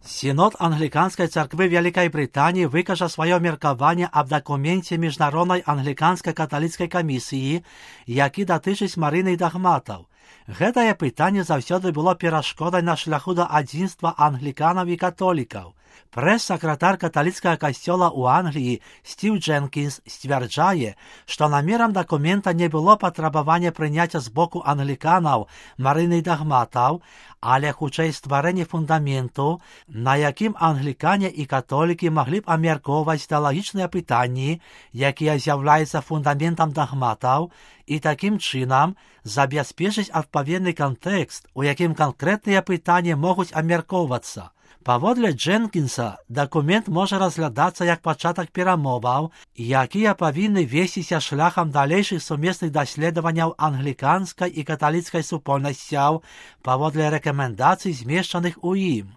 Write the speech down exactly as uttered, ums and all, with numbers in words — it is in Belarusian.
Сінод Англіканської церкви Великої Британії викаже своє міркування об документі Міжнародної англіканської католицької комісії, які датичить Марини і догматів. Гэтае пытанне заўсёды было перашкодай на шляху да адзінства англіканаў і католікаў. Прэс-сакратар каталіцкага касцёла ў Англіі Стив Дженкінс сцвярджае, што намерам дакумента не было патрабавання прыняцця з боку англіканаў марыны і дагматаў, але хутчэй стварэнне фундаменту, на якім англікане і католікі маглі б абмяркоўваць тэалагічныя пытанні, якія з'яўляюцца фундаментам дагматаў, і такім чынам забяспечыць адпаведны кантэкст, у якім канкрэтныя пытанні могуць абмяркоўвацца. Паводле Дженкінса, дакумент можа разглядацца як пачатак перамоваў, якія павінны весціся шляхам далейшых сумесных даследаванняў англіканскай і каталіцкай супольнасцяў паводле рэкамендацый, змешчаных у ім.